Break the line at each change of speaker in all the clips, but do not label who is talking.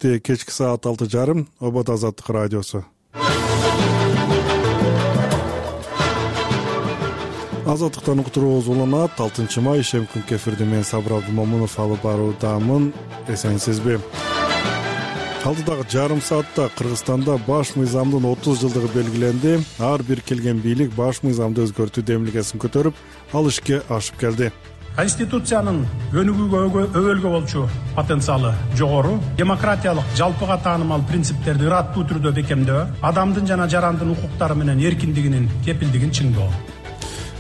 Кечки саат 6:30 Обод Азаттык радиосу. Азаттыктан уктуруубуз уланат. 6 май ишем күнкү эфирди мен Сабыр Абдымомунов алып баруудамын. Эсенсизби? Алдыдагы жарым саатта Кыргызстанда баш мыйзамдын 30 жылдыгы белгиленди. Ар бир келген бийлик баш мыйзамды өзгөртүү демилгесин көтөрүп, ал ишке ашып келди.
Конституциянын өнүгүүгө өбөлгө болчу потенциалы жогору, демократиялык жалпыга таанымал принциптерди ыраттуу түрдө бекемдөө, адамдын жана жарандын укуктары менен эркиндигинин кепилдигин чыңдоо.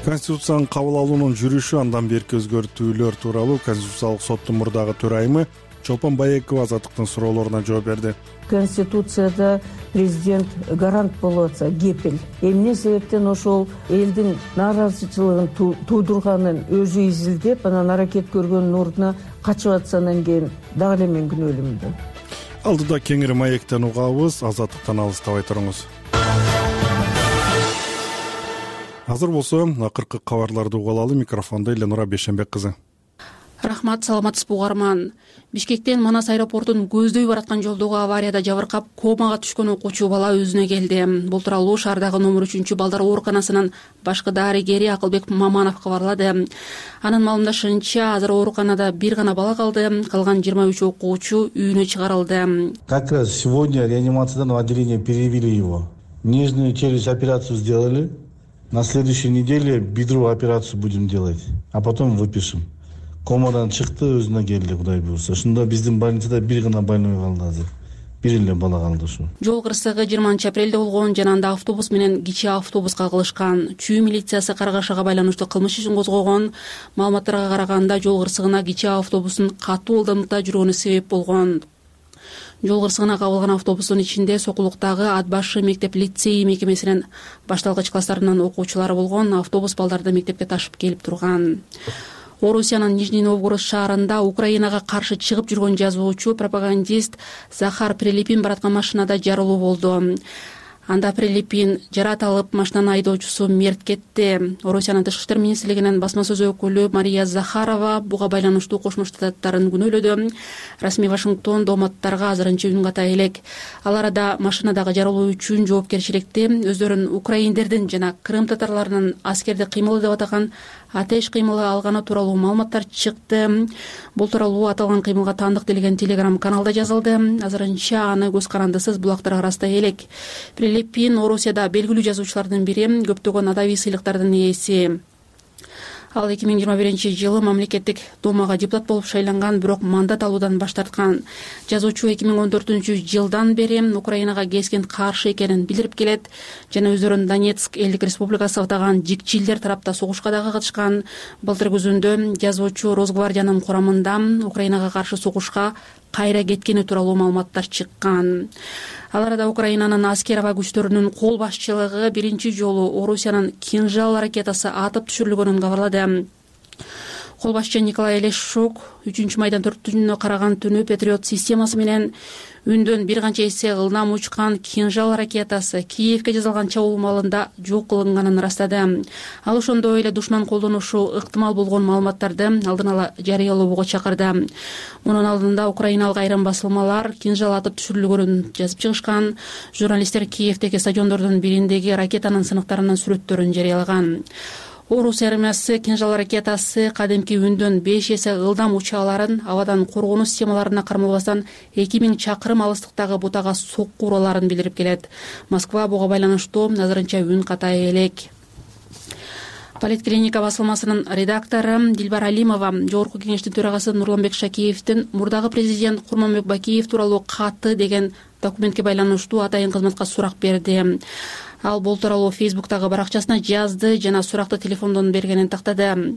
Конституциянын кабыл алуунун жүрүшү, андан берки өзгөртүүлөр тууралуу Конституциялык соттун мурдагы төрайымы Чолпон Байекова Азаттыктын суроолоруна жооп берди.
Конституцияда президент гарант болуп атса, кепил. Эмне себептен ошол элдин нааразычылыгын туудурганын өзү изилдеп, анан аракет көргөндүн ордуна качып атса, анан кийин дагы эле мен күнөөлүүмүн да.
Алдыда кеңири маектен угабыз, Азаттыктан алыстабай туруңуз. Азыр болсо акыркы кабарларды угалы. Микрофондо Эленура Бешенбек кызы.
Рахмат, саламатсызбы угарман. Бишкектен Манас аэропортун көздөй бараткан жолдогу аварияда жабыркап комага түшкөн окуучу бала өзүнө келди. Бул тууралуу шаардагы номер 3 балдар ооруканасынын башкы дарыгери Акылбек Маманов кабарлады. Анын маалымдашынча, азыр ооруканада бир гана бала калды, калган 23 окуучу үйүнө чыгарылды.
Как раз сегодня реанимациядан в отделение перевели его. Нижнюю челюсть операцию сделали. На следующей неделе бедровую операцию будем делать, а потом выпишем. Комадан чыкты, өзүнө келди, Кудай буйрса. Ошондо биздин больницада бир гана больной калды азыр. Бир эле бала калды ушу.
Жол кырсыгы 20-апрелде болгон, жана анда автобус менен кичи автобус кагылышкан. Чүй милициясы каргашага байланыштуу кылмыш ишин козгогон. Маалыматтарга караганда, жол кырсыгына кичи автобустун катуу ылдамдыкта жүргөнү себеп болгон. Жол кырсыгына кабылган автобустун ичинде Сокулуктагы Ат башы мектеп лицей мекемесинин башталгыч класстарынын окуучулары болгон. Автобус балдарды мектепке ташып келип турган. Орусиянын Нижний Новгород шаарында Украинага каршы чыгып жүргөн жазуучу, пропагандист Захар Прилипин бараткан машинада жарылуу болду. Анда Прилипин жарат алып, машинанын айдоочусу мерт кетти. Орусиянын Тышкы иштер министрлигинин басма сөз өкүлү Мария Захарова буга байланыштуу Кошмо Штаттарын күнөөлөдү. Расмий Вашингтон дооматтарга азырынча үн ката элек. Ал арада машинадагы жарылуу үчүн жоопкерчиликти өздөрүн украиндердин жана Крым татарларынын аскерди кыймылы деп атаган атеш кыймылы алганы тууралуу маалыматтар чыкты. Бул тууралуу аталган кыймылга таандык делген телеграм-каналда жазылды. Азырынча аны көз карандысыз булактар арасында элек. Прилипин Орусияда белгилүү жазуучулардын бири, көптөгөн адабий сыйлыктардын ээси. Ал 2021-жылы мамлекеттик думага депутат болуп шайланган, бирок мандат алуудан баш тарткан. Жазуучу 2014-жылдан бери Украинага keskin каршы экенин билдирип келет жана өздөрүн Донецк элдик республикасы атаган жикчилдер тарапта согушка дагы катышкан. Былтыр күзүндө жазуучу Росгвардиянын курамында Украинага каршы согушка кайра кеткени тууралуу маалыматтар чыккан. Ал арада Украинанын аскер аба күчтөрүнүн кол башчылыгы биринчи жолу Орусиянын Кинжал ракетасы атып түшүрүлгөнүн кабарлады. Кол башчы Николай Лешук 3-майдан 4-күнүнө караган түнү Патриот системасы менен үндөн бир канча эсе ылдам учкан Кинжал ракетасы Киевке жасалган чабуул маалында жок кылынганын ырастады. Ал ошондой эле душман колдонушу ыктымал болгон маалыматтарды алдын ала жарыялоого чакырды. Мунун алдында украиналык айрым басылмалар Кинжал атып түшүрүлгөнүн жазып чыгышкан. Журналисттер Киевдеги стадиондордун бириндеги ракетанын сыныктарынын сүрөттөрүн жарыялаган. Орус армиясы Кинжал ракетасы кадимки үндөн 5 эсе ылдам уча аларын, абадан коргонуу системаларына кармалбастан 2000 чакырым алыстыктагы бутага сокку ураларын билдирип келет. Москва буга байланыштуу азырынча үн ката элек. Политклиника басылмасынын редактору Дилбар Алимова Жогорку кеңештин төрагасы Нурланбек Шакиевдин мурдагы президент Курманбек Бакиев тууралуу каты деген документке байланыштуу атайын кызматка сурак берди. Ал бул тууралуу Фейсбуктагы баракчасына жазды жана суракты телефондон бергенин тактады.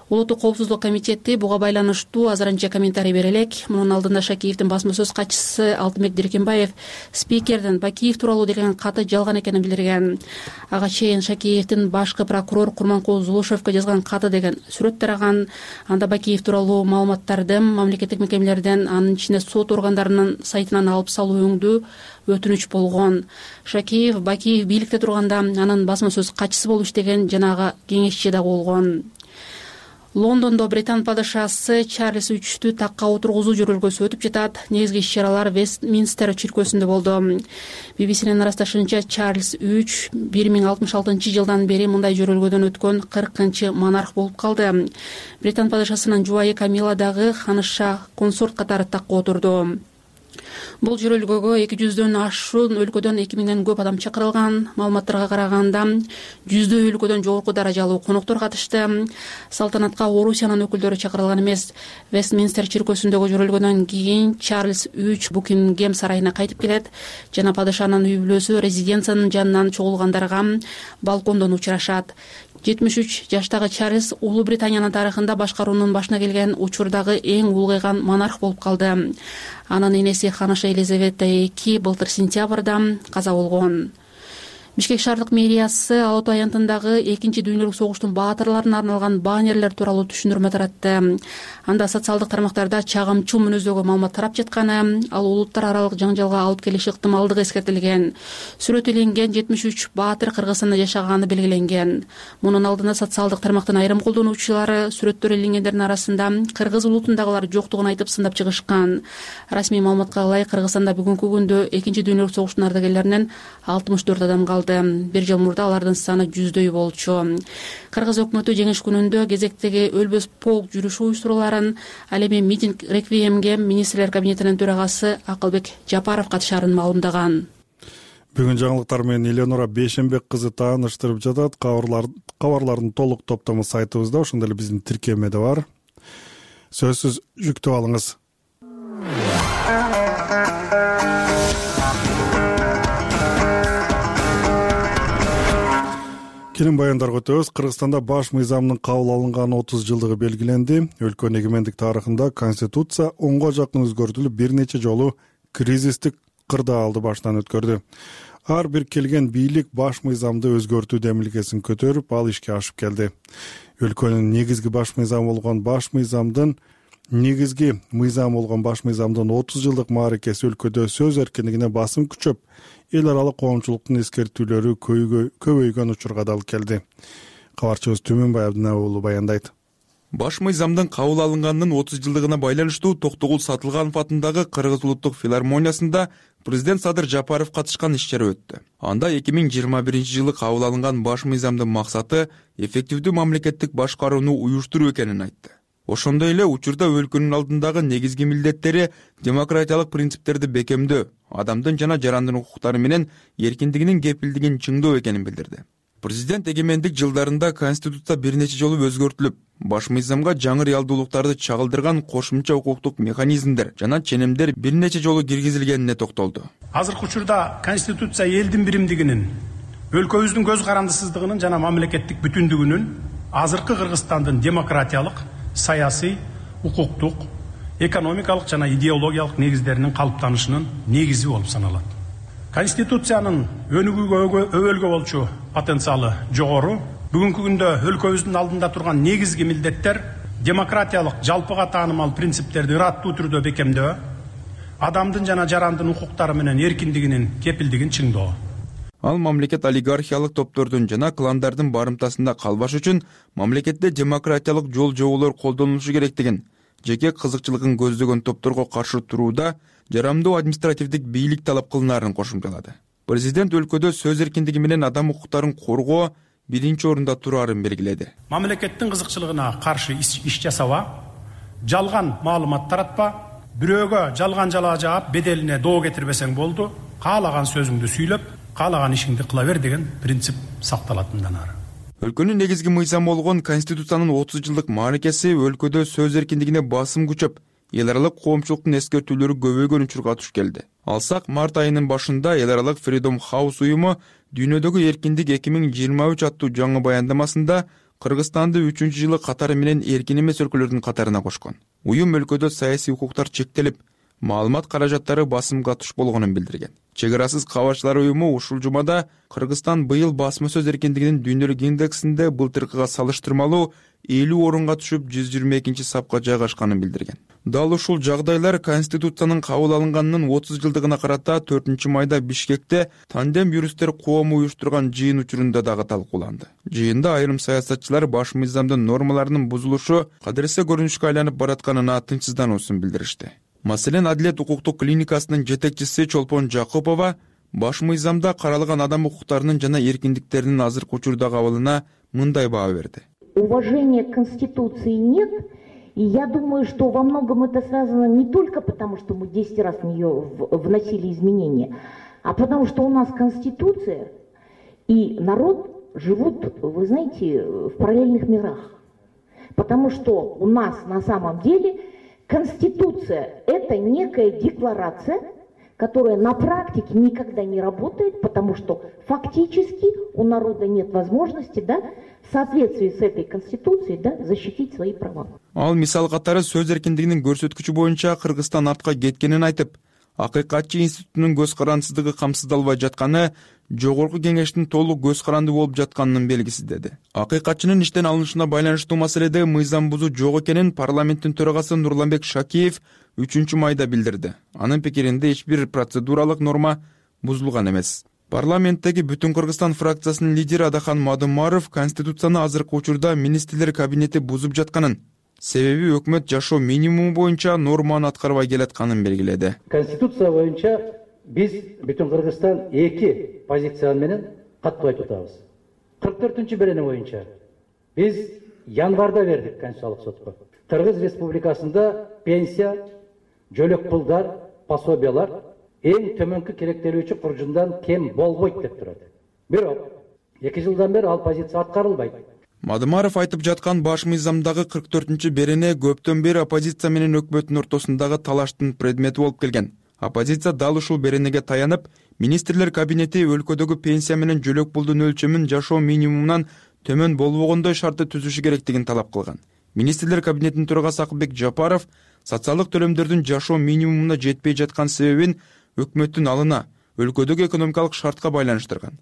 Улуттук коопсуздук комитети буга байланыштуу азырынча комментарий бере элек. Мунун алдында Шакиевдин басма сөз катчысы Алтынбек Диркенбаев спикердин Бакиев тууралуу деген каты жалган экенин билдирген. Ага чейин Шакиевдин башкы прокурор Курманкул Зулушевке жазган каты деген сүрөт тараган. Анда Бакиев тууралуу маалыматтарды мамлекеттик мекемелерден, анын ичинде сот органдарынын сайтынан алып салуу өңдүү өтүнүч болгон. Шакиев Бакиев бийликте турганда анын басма сөз катчысы болуп иштеген жанагы кеңешчи да болгон. Лондондо Британ падышасы Чарльз III такка отургузуу жөрөлгөсү өтүп жатат. Негизги иш-чаралар Вестминстер чиркөөсүндө болду. BBC'нин ырасташынча Чарльз III 1066-жылдан бери мындай жөрөлгөдөн өткөн 40-чы монарх болуп калды. Британ падышасынын жубайы Камила дагы ханыша консорт катары такка отурду. Бул жөрөлгөгө 200дөн ашуун өлкөдөн 2000ден көп адам чакырылган. Маалыматтарга караганда 100 өлкөдөн жогорку даражалуу коноктор катышты. Салтанатка Орусиянын өкүлдөрү чакырылган эмес. Вестминстер чиркөөсүндөгү жөрөлгөдөн кийин Чарльз III Букингем сарайына кайтып келет жана падышанын үй бүлөсү резиденциянын жанынан чогулгандарга балкондон учурашат. 73 жаштагы Чарльз Улуу Британиянын тарыхында башкаруунун башына келген учурдагы эң улгайган монарх болуп калды. Анын энеси ханыша Елизавета II былтыр сентябрда каза болгон. Бишкек шаардык мэриясы Ала Тоо аянтындагы 2 дүйнөлүк согуштун баатырларына арналган баннерлер тууралуу түшүндүрмө таратты. Анда социалдык тармактарда чагымчыл мүнөздөгү маалымат тарап жатканы, ал улуттар аралык жаңжалга алып келиши ыктымалдыгы эскертилген. Сүрөт иленген 73 баатыр Кыргызстанда жашаганы белгиленген. Мунун алдында социалдык тармактын айрым колдонуучулары сүрөттөр иленгендердин арасында кыргыз улутундагылар жоктугун айтып сындап чыгышкан. Расмий маалыматка ылайык Кыргызстанда бүгүнкү күндө 2 дүйнөлүк согуштун ардагерлеринен 64 адам калды. Бир жыл мурда алардын саны 100дөй болчу. Кыргыз өкмөтү жеңиш күнүндө кезектеги өлбөс полк жүрүшү уюштуруларын, ал эми митинг реквиемге министрлер кабинетинин төрагасы Акылбек Жапаров катышаарын маалымдаган.
Бүгүн жаңылыктар менен Эленора Бейшенбек кызы тааныштырып жатат. Кабарлардын толук топтому сайтыбызда, ошондой эле биздин тиркемеде бар. Сөзсүз жүктөп алыңыз. Келин баяндарга өтөбүз. Кыргызстанда баш мыйзамдын кабыл алынган 30 жылдыгы белгиленди. Өлкөнүн эгемендик тарыхында конституция 10га жакын өзгөртүлүп, бир нече жолу кризистик кырдаалды баштан өткөрдү. Ар бир келген бийлик баш мыйзамды өзгөртүү демилгесин көтөрүп, ал ишке ашып келди. Өлкөнүн негизги баш мыйзамы болгон баш мыйзамдын 30 жылдык мааракеси өлкөдө сөз эркиндигине басым күчөп, эл аралык коомчулуктун эскертүүлөрү көбөйгөн учурга да алып келди. Кабарчыбыз Түмөнбай Абдына уулу баяндайт.
Баш мыйзамдын кабыл алынганынын 30 жылдыгына байланыштуу Токтогул Сатылганов атындагы Кыргыз улуттук филармониясында президент Садыр Жапаров катышкан иш-чара өттү. Анда 2021-жылы кабыл алынган баш мыйзамдын максаты эффективдүү мамлекеттик башкарууну уюштуруу экенин айтты. Ошондой эле учурда өлкөнүн алдындагы негизги милдеттери демократиялык принциптерди бекемдөө, адамдын жана жарандын укуктары менен эркиндигинин кепилдигин чыңдоо экенин билдирди. Президент эгемендик жылдарында Конституция бир нече жолу өзгөртүлүп, баш мыйзамга жаңы реалдуулуктарды чагылдырган кошумча укуктук механизмдер жана ченемдер бир нече жолу киргизилгенине токтолду.
Азыркы учурда Конституция элдин биримдигинин, өлкөбүздүн көз карандысыздыгынын жана мамлекеттик бүтүндүгүнүн, азыркы Кыргызстандын демократиялык, саясий, укуктук, экономикалык жана идеологиялык негиздеринин калыптанышынын негизи болуп саналат. Конституциянын өнүгүүгө өбөлгө болчу потенциалы жогору. Бүгүнкү күндө өлкөбүздүн алдында турган негизги милдеттер демократиялык жалпыга таанымал принциптерди ыраттуу түрдө бекемдөө, адамдын жана жарандын укуктары менен эркиндигинин кепилдигин чыңдоо.
Ал мамлекет олигархиялык топтордун жана кландардын барымтасында калбаш үчүн мамлекетте демократиялык жол жоболор колдонулушу керектигин, жеке кызыкчылыгын көздөгөн топторго каршы турууда жарамдуу административдик бийлик талап кылынаарын кошумчалады. Президент өлкөдө сөз эркиндиги менен адам укуктарын коргоо биринчи орунда турарын белгиледи.
Мамлекеттин кызыкчылыгына каршы иш жасаба, жалган маалымат таратпа, бирөөгө жалган жалаа жаап беделине доо кетирбесең болду, каалаган сөзүңдү сүйлөп, каалаган ишиңди кыла бер деген принцип сакталат мындан ары.
Өлкөнүн негизги мыйзамы болгон Конституциянын 30 жылдык мааракеси өлкөдө сөз эркиндигине басым күчөп, эл аралык коомчулуктун эскертүүлөрү көбөйгөн учурга туш келди. Алсак, март айынын башында эл аралык Freedom House уюму дүйнөдөгү эркиндик 2023 аттуу жаңы баяндамасында Кыргызстанды 3-жылы катары менен эркин эмес өлкөлөрдүн катарына кошкон. Уюм өлкөдө саясий укуктар чектелип, маалымат каражаттары басымга туш болгонун билдирген. Чек арасыз кабарчылар уюму ушул жумада Кыргызстан быйыл басма сөз эркиндигинин дүйнөлүк индексинде былтыркыга салыштырмалуу 50 орунга түшүп 122 сапка жайгашканын билдирген. Дал ушул жагдайлар Конституциянын кабыл алынганынын 30 жылдыгына карата 4-майда Бишкекте тандем юристтер коому уюштурган жыйын учурунда дагы талкууланды. Жыйында айрым саясатчылар баш мыйзамдын нормаларынын бузулушу кадыресе көрүнүшкө айланып баратканына тынчсыздануусун билдиришти. Маселен, Адилет укуктук клиникасынын жетекчиси Чолпон Жакупова баш мыйзамда каралган адам укуктарынын жана эркиндиктеринин азыркы учурда кабылына мындай баа берди.
Уважения к Конституции нет, и я думаю, что во многом это связано не только потому, что мы 10 раз в нее вносили изменения, а потому что у нас Конституция и народ живут, вы знаете, в параллельных мирах. Потому что у нас на самом деле Конституция – это некая декларация, которая на практике никогда не работает, потому что фактически у народа нет возможности, в соответствии с этой Конституцией, защитить свои права.
Ал мисал катары сөз эркиндигинин көрсөткүчү боюнча Кыргызстан артка кеткенин айтып, Акыйкатчы институтунун көз карандысыздыгы камсыздалбай жатканы жогорку кеңештин толук көз карандуу болуп жатканынын белгиси деди. Акыйкатчынын иштен алынышына байланыштуу маселеде мыйзам бузуу жок экенин парламенттин төрагасы Нурланбек Шакиев 3-майда билдирди. Анын пикиринде эч бир процедуралык норма бузулган эмес. Парламенттеги Бүтүн Кыргызстан фракциясынын лидери Адахан Мадымаров Конституцияны азыркы учурда министрлер кабинети бузуп жатканын, себеби өкмөт жашоо минимуму боюнча норманы аткарбай келатканын белгиледи.
Конституция боюнча биз Бүтүн Кыргызстан 2 позиция менен каттуу айтып атабыз. 44-берене боюнча биз январда бердик Конституциялык сотко. Кыргыз Республикасында пенсия, жөлөк пулдар, пособиялар эң төмөнкү керектелүүчү куржундан кем болбойт деп турат. Бирок 2 жылдан бери ал позиция аткарылбайт.
Мадымаров айтып жаткан баш мыйзамдагы 44-берене көптөн бери оппозиция менен өкмөттүн ортосундагы талаштын предмети болуп келген. Оппозиция дал ушул беренеге таянып, министрлер кабинети өлкөдөгү пенсия менен жөлөк пулдун өлчөмүн жашоо минимумунан төмөн болбогондой шартты түзүшү керектигин талап кылган. Министрлер кабинетинин төрагасы Акылбек Жапаров социалдык төлөмдөрдүн жашоо минимумуна жетпей жаткан себебин өкмөттүн алына, өлкөдөгү экономикалык шартка байланыштырган.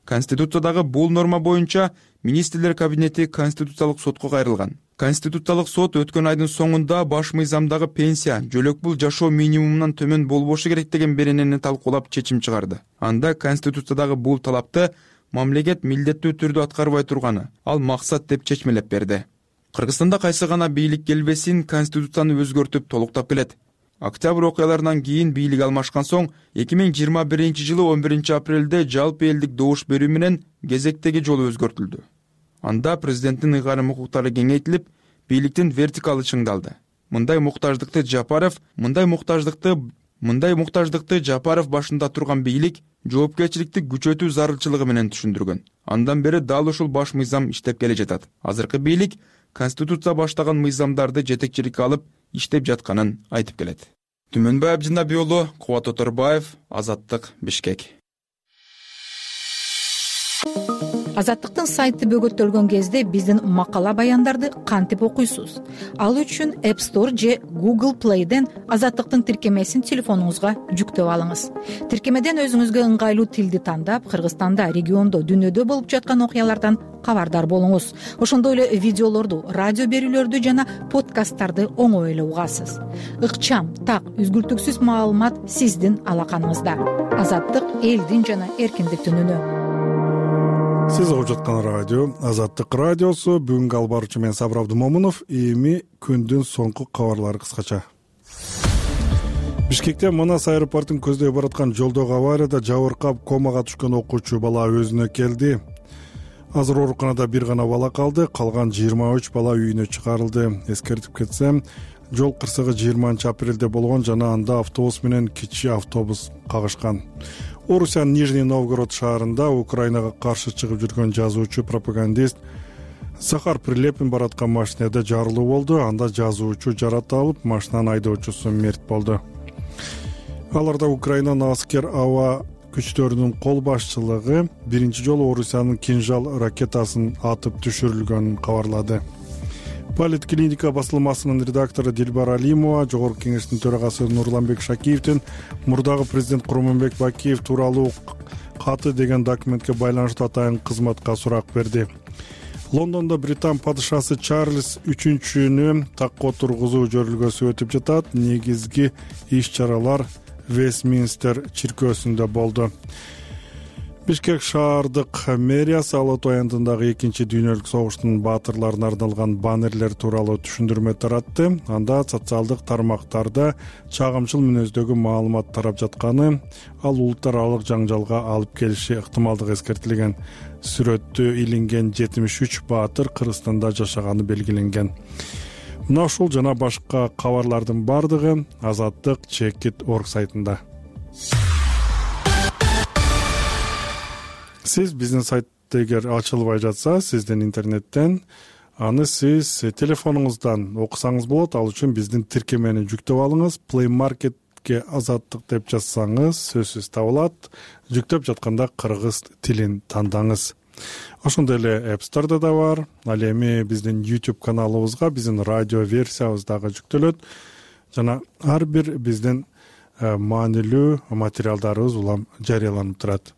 Конституциядагы бул норма боюнча министрлер кабинети Конституциялык сотко кайрылган. Конституциялык сот өткөн айдын соңунда баш мыйзамдагы пенсия, жөлөк пул жашоо минимумунан төмөн болбошу керек деген беренени талкуулап чечим чыгарды. Анда Конституциядагы бул талапты мамлекет милдеттүү түрдө аткарбай турганы, ал максат деп чечмелеп берди. Кыргызстанда кайсы гана бийлик келбесин Конституцияны өзгөртүп толуктап келет. Октябрь окуяларынан кийин бийлик алмашкан соң 2021 жылы 11 апрелде жалпы элдик добуш берүү менен кезектеги жолу өзгөртүлдү. Анда президенттин ыйгарым укуктары кеңейтилип, бийликтин вертикалы чыңдалды. Мындай муктаждыкты Жапаров башында турган бийлик жоопкерчиликти күчөтүү зарылчылыгы менен түшүндүргөн. Андан бери дал ушул баш мыйзам иштеп келе жатат. Азыркы бийлик Конституция баштаган мыйзамдарды жетекчиликке алып иштеп жатканын айтып келет. Түмөнбай Абдинабий уулу, Кубат Оторбаев, Азаттык, Бишкек.
Азаттыктын сайты бөгөттөлгөн кезде биздин макала баяндарды кантип окуйсуз? Ал үчүн App Store же Google Play'ден Азаттыктын тиркемесин телефонуңузга жүктөп алыңыз. Тиркемеден өзүңүзгө ыңгайлуу тилди тандап, Кыргызстанда, региондо, дүйнөдө болуп жаткан окуялардан кабардар болуңуз. Ошондой эле видеолорду, радио берүүлөрдү жана подкасттарды оңой эле угасыз. Ыкчам, так, үзгүлтүксүз маалымат сиздин алаканыңызда. Азаттык элдин жана эркиндиктин үнү.
Сиз угуп жаткан радио Азаттык радиосу. Бүгүнкү алып баруучу мен Сабыр Абдымомунов. Эми күндүн соңку кабарлары кыскача. Бишкекте Манас аэропортун көздөй бараткан жолдогу аварияда жабыркап комага түшкөн окуучу бала өзүнө келди. Азыр ооруканада бир гана бала калды, калган 23 бала үйүнө чыгарылды. Эскертип кетсем, жол кырсыгы 20 апрелде болгон жана анда автобус менен кичи автобус кагышкан. Орусиянын Нижний Новгород шаарында Украинага каршы чыгып жүргөн жазуучу, пропагандист Захар Прилепин бараткан машинада жарылуу болду. Анда жазуучу жарат алып, машинанын айдоочусу мерт болду. Аларда Украинанын аскер аба күчтөрүнүн кол башчылыгы биринчи жолу Орусиянын Кинжал ракетасын атып түшүрүлгөнүн кабарлады. Политклиника басылмасынын редактору Дилбар Алимова Жогорку Кеңештин төрагасы Нурланбек Шакиевдин мурдагы президент Курманбек Бакиев тууралуу каты деген документке байланыштуу атайын кызматка сурак берди. Лондондо Британ падышасы Чарльз 3-нү такка отургузуу жөрүлгөсү өтүп жатат. Негизги иш-чаралар Вестминстер чиркөөсүндө болду. Бишкек шаардык мэриясы Ала Тоо аянтындагы 2-дүйнөлүк согуштун баатырларына арналган баннерлер тууралуу түшүндүрмө таратты. Анда социалдык тармактарда чагымчыл мүнөздөгү маалымат тарап жатканы, ал улуттар аралык жаңжалга алып келиши ыктымалдыгы эскертилген. Сүрөттө илинген 73 баатыр Кыргызстанда жашаганы белгиленген. Мына ушул жана башка кабарлардын бардыгы Азаттык Чекит.org сайтында. Сиз биздин сайтты эгер ачылбай жатса, сиздин интернеттен аны сиз телефонуңуздан окусаңыз болот. Ал үчүн биздин тиркемени жүктөп алыңыз. Play Market'ке Азаттык деп жазсаңыз сөзсүз табылат. Жүктөп жатканда кыргыз тилин тандаңыз. Ошондой эле App Store'да да бар. Ал эми биздин YouTube каналыбызга биздин радио версиябыз дагы жүктөлөт. Жана ар бир биздин маанилүү материалдарыбыз улам жарыяланып турат.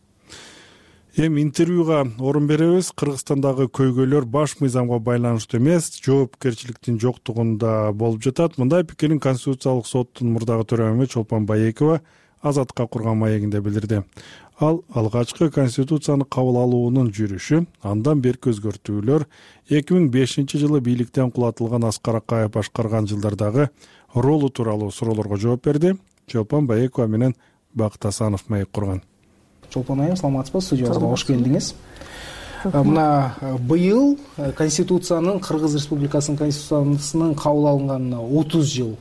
Эми интервьюга орун беребиз. Кыргызстандагы көйгөйлөр баш мыйзамга байланыштуу эмес, жоопкерчиликтин жоктугунда болуп жатат. Мындай пикирин Конституциялык соттун мурдагы төрайымы Чолпон Байекова Азаттыкка курган маегинде билдирди. Ал алгачкы Конституцияны кабыл алуунун жүрүшү, андан берки өзгөртүүлөр 2005-жылы бийликтен кулатылган Аскар Акаев башкарган жылдардагы ролу тууралуу суроолорго жооп берди. Чолпон Байекова менен Бакыт Асанов маек курган.
Чолпон айым, саламатсызбы? Студиябызга кош келдиңиз. Мына быйыл Конституциянын, Кыргыз Республикасынын Конституциясынын кабыл алынганына 30 жыл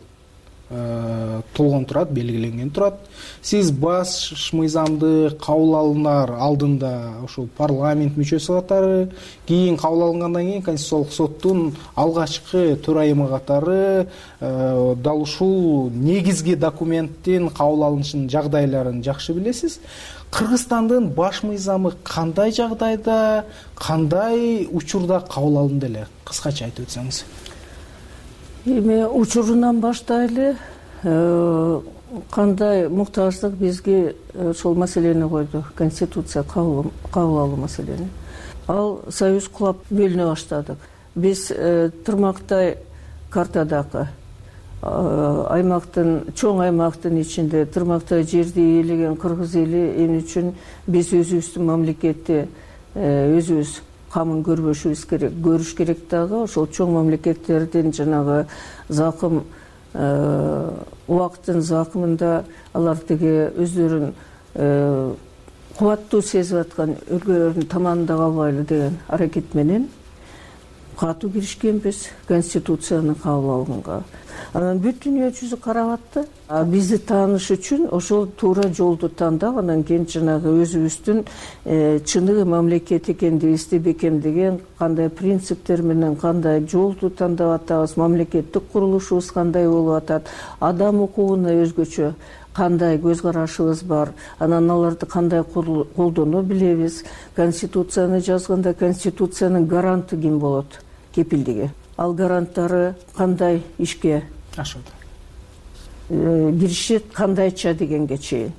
толгон турат, белгиленген турат. Сиз баш мыйзамды кабыл алынар алдында ошол парламент мүчөсү катары, кийин кабыл алынгандан кийин Конституциялык соттун алгачкы төрайымы катары дал ушул негизги документтин кабыл алынышынын жагдайларын жакшы билесиз. Кыргызстандын баш мыйзамы кандай жагдайда, кандай учурда кабыл алынды эле? Кыскача айтып өтсөңүз.
Эми учурунан баштайлы, кандай муктаждык бизге ошол маселени койду, Конституция кабыл алуу маселени. Ал союз кулап бөлүнө баштадык. Биз тырмактай картадагы аймактын, чоң аймактын ичинде тырмактай жерди ээлеген кыргыз эли эмне үчүн биз өзүбүздүн мамлекетти өзүбүз камын көрбөшүбүз керек, көрүш керек дагы. Ошол чоң мамлекеттердин жанагы закым убакыттын закымында алар тиги өздөрүн кубаттуу сезип аткан өлкөлөрдүн таманында калбайлы деген аракет менен катуу киришкенбиз Конституцияны кабыл алганга. Анан бүт дүйнө жүзү карап атты. Бизди тааныш үчүн ошол туура жолду тандап, анан кийин жанагы өзүбүздүн чыныгы мамлекет экендигибизди бекемдеген кандай принциптер менен кандай жолду тандап атабыз, мамлекеттик курулушубуз кандай болуп атат, адам укугуна өзгөчө кандай көз карашыбыз бар, анан аларды кандай колдоно билебиз. Конституцияны жазганда Конституциянын гаранты ким болот? Кепилдиги. Ал гаранттары кандай ишке ашат, киришет кандайча дегенге чейин.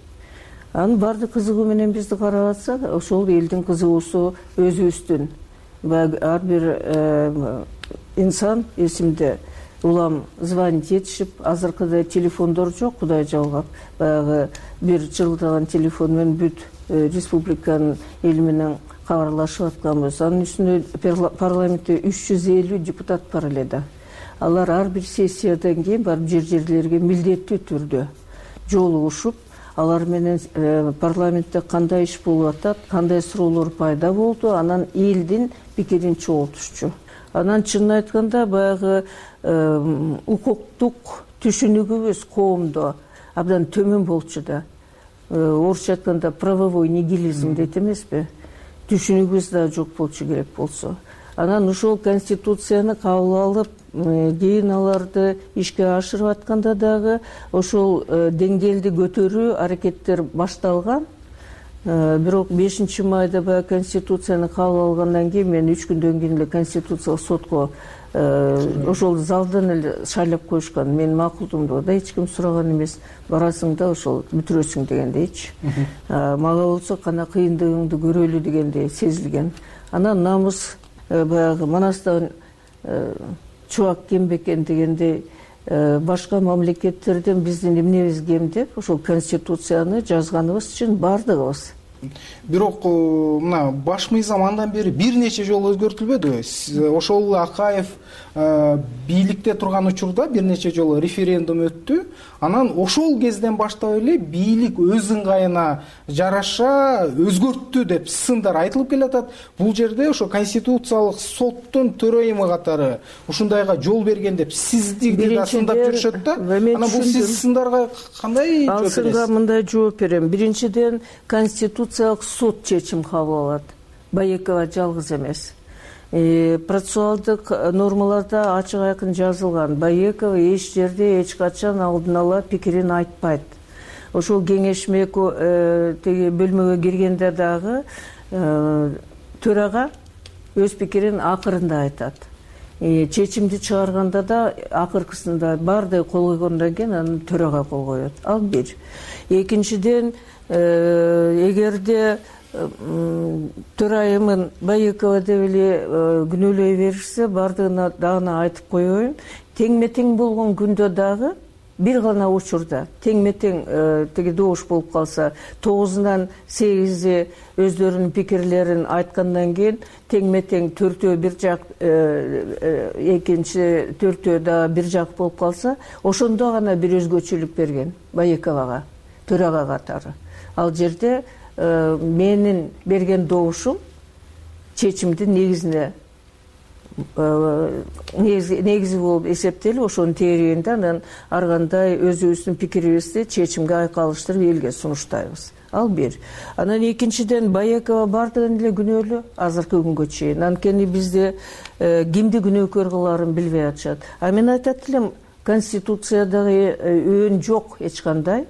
Анын баардык кызыгуу менен бизди карап атсак, ошол элдин кызыгуусу өзүбүздүн. Ар бир инсан эсимде улам звонить этишип, азыркыдай телефондор жок, Кудай жалгап. Баягы бир жылдаган телефон менен бүт республиканын эли менен кабарлашып атканбыз. Анын үстүнө парламентте 350 депутат бар эле да. Алар ар бир сессиядан кийин барып жерлерге милдеттүү түрдө жолугушуп, алар менен парламентте кандай иш болуп атат, кандай суроолор пайда болду, анан элдин пикирин чогултушчу. Анан чынын айтканда баягы укуктук түшүнүгүбүз коомдо абдан төмөн болчу да. Орусча айтканда правовой нигилизм дейт эмеспи? Түшүнүгүбүз да жок болчу керек болсо. Анан ушул Конституцияны кабыл алып, кийин аларды ишке ашырып атканда дагы ошол деңгээлди көтөрүү аракеттер башталган. Бирок 5 майда баягы конституцияны кабыл алгандан кийин мен 3 күндөн кийин эле конституциялык сотко ошол залдан эле шайлап коюшкан. Менин макулдугумду да эч ким сураган эмес. Барасың да ошол бүтүрөсүң дегендейчи. Мага болсо кана кыйындыгыңды көрөлү дегендей сезилген. Анан намыс баягы Манастан чубак кем бекен дегендей башка мамлекеттерден биздин эмнебиз кем деп ошол конституцияны жазганыбыз үчүн бардыгыбыз.
Бирок мына баш мыйзам андан бери бир нече жолу өзгөртүлбөдүбү? Ошол Акаев бийликте турган учурда бир нече жолу референдум өттү. Анан ошол кезден баштап эле бийлик өз ыңгайына жараша өзгөрттү деп сындар айтылып келатат. Бул жерде ошо конституциялык соттун төрайымы катары ушундайга жол берген деп сизди да сындап жүрүшөт да. Анан бул сиз сындарга кандай жооп бересиз?
Ал сынга мындай жооп берем. Биринчиден, конституциялык сот чечим кабыл алат. Байекова жалгыз эмес. Процессуалдык нормаларда ачык айкын жазылган. Байекова эч жерде эч качан алдын ала пикирин айтпайт. Ошол кеңешме теги бөлмөгө киргенде дагы төрага өз пикирин акырында айтат. Чечимди чыгарганда да акыркысында баардыгы кол койгондон кийин анан төрага кол коет. Ал бир. Экинчиден, эгерде төрайымын Байекова деп эле күнөөлөй беришсе, баардыгына дагы айтып коеюн. Тең-метең болгон күндө дагы бир гана учурда тең-метең теги добуш болуп калса, 9-дан 8 өздөрүнүн пикирлерин айткандан кийин тең-метең 4 бир жак, экинчи 4 да бир жак болуп калса, ошондо гана бир өзгөчөлүк берген Байековага, төрага катары. Ал жерде менин берген добушум чечимдин негизи болуп эсептелип, ошонун тегерегинде анан ар кандай өзүбүздүн пикирибизди чечимге айкалыштырып элге сунуштайбыз. Ал бир. Анан экинчиден, Байекова бардыгын эле күнөөлүү азыркы күнгө чейин. Анткени бизде кимди күнөөкөр кылаарын билбей атышат. А мен айтат элем, конституциядагы өөн жок эч кандай.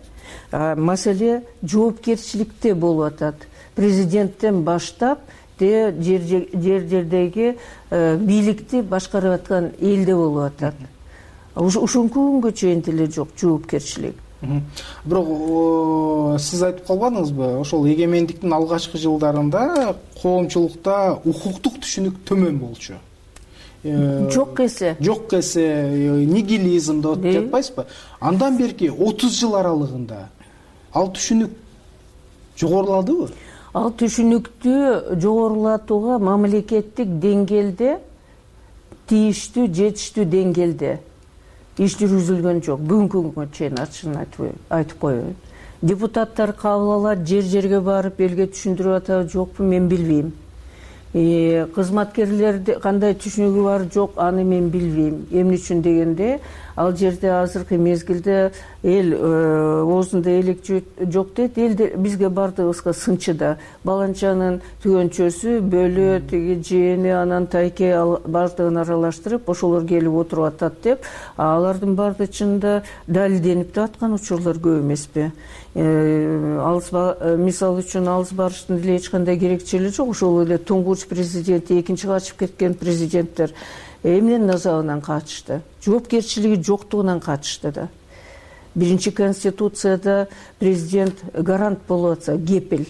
Маселе жоопкерчиликте болуп атат. Президенттен баштап жер-жердеги бийликти башкарып аткан элде болуп атат. Ушунку күнгө чейин деле жок жоопкерчилик.
Бирок сиз айтып калбадыңызбы, ошол эгемендиктин алгачкы жылдарында коомчулукта укуктук түшүнүк төмөн болчу.
Жок эсе
нигилизм деп жатпайсызбы? Андан берки 30 жыл аралыгында ал түшүнүк жогоруладыбы?
Ал түшүнүктү жогорулатууга мамлекеттик деңгээлде, тийиштүү, жетиштүү деңгээлде иш жүргүзүлгөн жок. Бүгүнкү күнгө чейин ачыгын айтып коеюн. Депутаттар кабыл алат, жер-жерге барып элге түшүндүрүп атабы жокпу, мен билбейм. Кызматкерлерди кандай түшүнүгү бар жок, аны мен билбейм. Эмне үчүн дегенде, ал жерде азыркы мезгилде эл оозунда элек жок дейт. Элде бизге бардыгыбызга сынчыда баланчанын түгөнчөсү, бөлө, тиги жээни, анан тайке бардыгын аралаштырып, ошолор келип отуруп атат деп, алардын баардыгы чынында далилденип аткан учурлар көп эмеспи? Мисалы үчүн алыс барыштын деле эч кандай керекчилиги жок. Ошол эле туңгуч президент, экинчи качып кеткен президенттер эмненин азабынан качышты? Жоопкерчилиги жоктугунан качышты да. Биринчи конституцияда президент гарант болуп атса, кепил.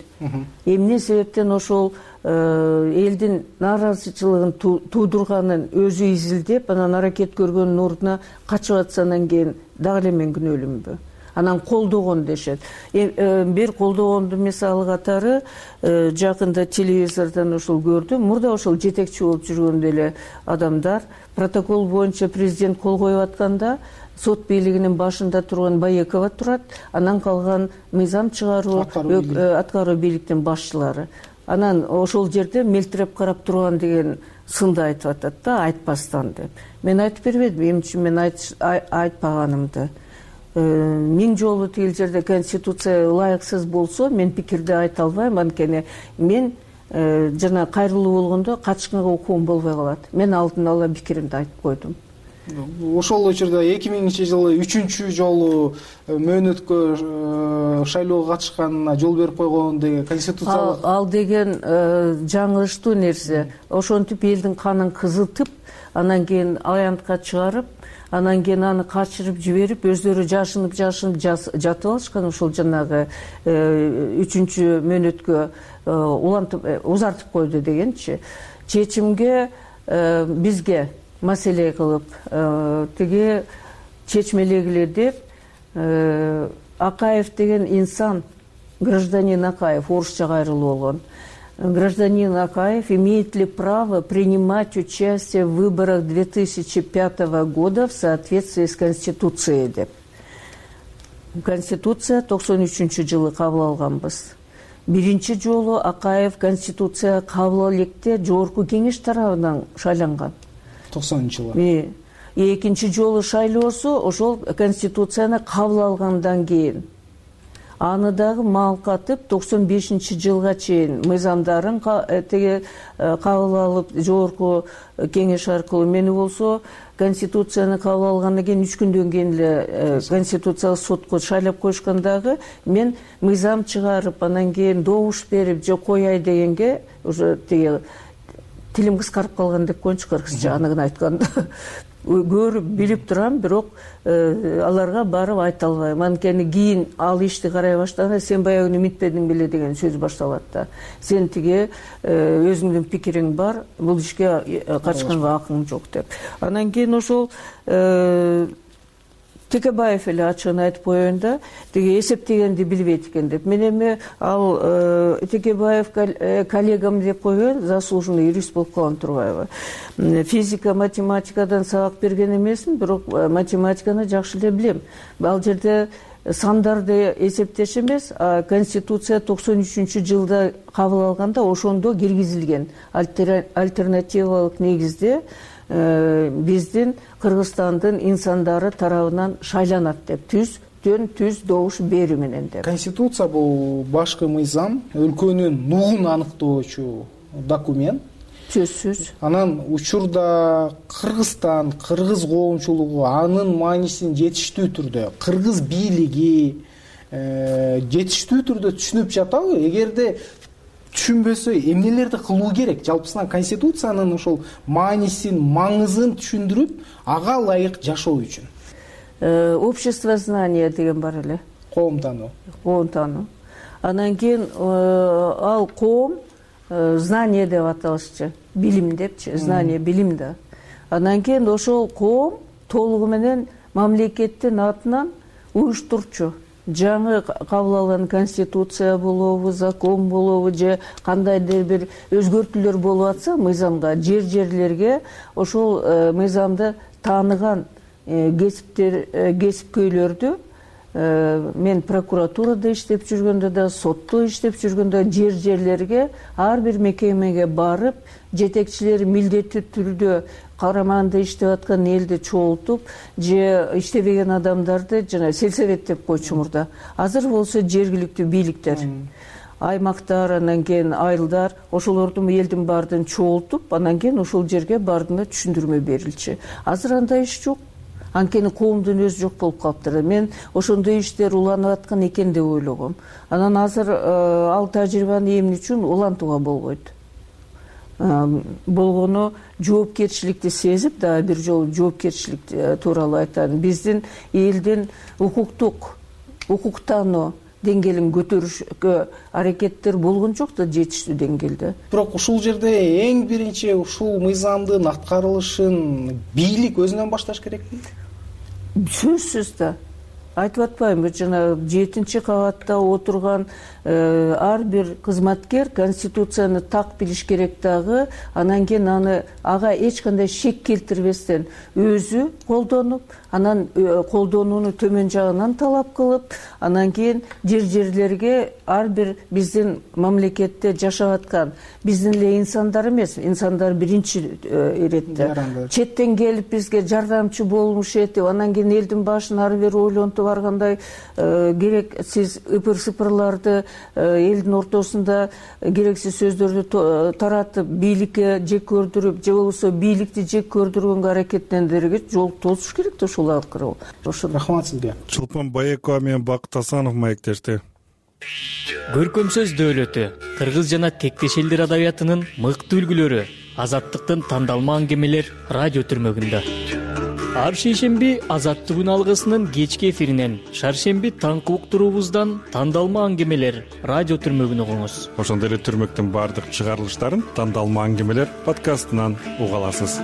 Эмне себептен ошол элдин нааразычылыгын туудурганын өзү изилдеп, анан аракет көргөндүн ордуна качып атсандан кийин дагы эле мен күнөөлүүмбү? Анан колдогон дешет. Бир колдогонду мисалы катары жакында телевизордон ошол көрдүм. Мурда ошол жетекчи болуп жүргөн эле адамдар протокол боюнча президент кол коюп атканда сот бийлигинин башында турган Байекова турат, анан калган мыйзам чыгаруу, аткаруу бийликтин башчылары. Анан ошол жерде мелтиреп карап турган деген сынды айтып атат да, айтпастан деп. Мен айтып бербедим, эмне үчүн мен айтпаганымды. 1000 жолу тигил жерде конституция ылайыксыз болсо, мен пикирди айта албайм, анткени мен жана кайрылуу болгондо качкынга укугум болбой калат. Мен алдын ала пикиримди айтып койдум.
ошол учурда 2000-жылы 3-чү жолу мөөнөткө шайлоого катышканына жол берип койгон деген конституциялык
ал деген жаңылыштуу нерсе. Ошентип элдин канын кызытып, анан кийин аянтка чыгарып, анан кийин аны качырып жиберип, өздөрү жашынып жатып алышкан. Ошол жанагы 3-чү мөөнөткө улантып узартып койду дегенчи. Чечимге бизге маселе кылып тиги чечмелегиле деп Акаев деген инсан, гражданин Акаев, орусча кайрылуу болгон. Гражданин Акаев имеет ли право принимать участие в выборах 2005 года в соответствии с Конституцией деп. Конституция 93-жылы кабыл алганбыз. Биринчи жолу Акаев Конституция кабыл электе Жогорку кеңеш тарабынан шайланган.
90-жылы.
Экинчи жолу шайлоосу ошол Конституцияны кабыл алгандан кийин. Аны дагы малкатып 95-жылга чейин мыйзамдарын кабыл алып Жогорку кеңеш аркылуу, мени болсо Конституцияны кабыл алгандан кийин 3 күндөн кийин эле Конституциялык сотко шайлап коюшкан дагы мен мыйзам чыгарып, анан кийин добуш берип же кояй дегенге уже тилим кыскарып калган деп коеюнчу, кыргызча анын айтканда. Көрүп билип турам, бирок аларга барып айта албайм. Анткени кийин ал ишти карай баштаганда сен баягы үмүтпедиң беле деген сөз башталат да. Сен тиги өзүңдүн пикириң бар, бул ишке катышканга акың жок деп. Анан кийин ошол Текебаев эле ачыгын айтып коеюн да, тиги эсептегенди билбейт экен деп. Мен эми ал Текебаев коллегам деп коеюн, заслуженный юрист болуп калган турбайбы. Физика, математикадан сабак берген эмесмин, бирок математиканы жакшы эле билем. Ал жерде сандарды эсептеш эмес, Конституция 93-жылда кабыл алганда ошондо киргизилген альтернативалык негизде биздин Кыргызстандын инсандары тарабынан шайланат деп, түз добуш берүү менен деп.
Конституция бул башкы мыйзам, өлкөнүн нугун аныктоочу документ.
Сөзсүз.
Анан учурда Кыргызстан, кыргыз коомчулугу анын маанисин жетиштүү түрдө, кыргыз бийлиги жетиштүү түрдө түшүнүп жатабы? Эгерде түшүнбөсө эмнелерди кылуу керек? Жалпысынан Конституциянын ошол маанисин, маңызын түшүндүрүп, ага ылайык жашоо үчүн.
Общество знания деген бар эле.
Коом таануу.
Анан кийин ал коом знание деп аталышчы, билим депчи, знание билим да. Анан кийин ошол коом толугу менен мамлекеттин атынан уюштурчу. Жаңы кабыл алган Конституция болобу, закон болобу же кандайдыр бир өзгөртүүлөр болуп атса мыйзамга, жерлерге ошол мыйзамды тааныган кесипкөйлөрдү мен прокуратурада иштеп жүргөндө да, сотто иштеп жүргөндө жерлерге ар бир мекемеге барып, жетекчилери милдеттүү түрдө караманда иштеп аткан элди чогултуп, же иштебеген адамдарды жана сельсовет деп койчу мурда. Азыр болсо жергиликтүү бийликтер, аймактар, анан кийин айылдар, ошолордун элдин баардыгын чогултуп, анан кийин ошол жерге баардыгына түшүндүрмө берилчү. Азыр андай иш жок. Анткени коомдун өзү жок болуп калыптыр. Мен ошондой иштер уланып аткан экен деп ойлогом. Анан азыр ал тажрыйбаны эмне үчүн улантууга болбойт? Болгону жоопкерчиликти сезип, дагы бир жолу жоопкерчилик тууралуу айтайын. Биздин элдин укуктануу деңгээлин көтөрүшкө аракеттер болгон жок да жетиштүү деңгээлде.
Бирок ушул жерде эң биринчи ушул мыйзамдын аткарылышын бийлик өзүнөн башташ керекпи?
Сөзсүз да. Айтып атпаймынбы, жана 7-кабатта отурган ар бир кызматкер Конституцияны так билиш керек дагы, анан кийин ага эч кандай шек келтирбестен өзү колдонуп, анан колдонууну төмөн жагынан талап кылып, анан кийин жерлерге ар бир биздин мамлекетте жашап аткан биздин эле инсандар эмес, инсандар биринчи иретте четтен келип бизге жардамчы болмушет деп, анан кийин элдин башын ары бери ойлонтуп баргандай керексиз ыпыр-сыпырларды элдин ортосунда керексиз сөздөрдү таратып, бийликке жек көрдүрүп, же болбосо бийликти жек көрдүргөнгө аракеттендерге жол тосуш керек да ушул аркылуу.
Рахмат сизге.
Чулпан Баекова менен Бакыт Асанов маектешти.
Көркөм сөз дөөлөтү кыргыз жана тектеш элдер адабиятынын мыкты үлгүлөрү, азаттыктын тандалма аңгемелер радио түрмөгүндө. Ар шейшемби Азаттык күн алгысынын кечки эфиринен, шаршемби таңкы уктуруубуздан тандалма аңгемелер радио түрмөгүн угуңуз.
Ошондой эле түрмөктүн баардык чыгарылыштарын тандалма аңгемелер подкастынан уга аласыз.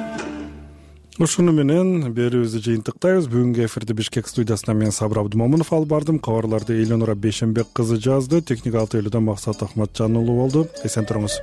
Ушуну менен берүүбүздү жыйынтыктайбыз. Бүгүнкү эфирди Бишкек студиясынан мен Сабыр Абдымомунов алып бардым. Кабарларды Эленора Бейшенбек кызы жазды. Техникалык тейлөөдөн Максат Ахматжан уулу болду. Эсен туруңуз.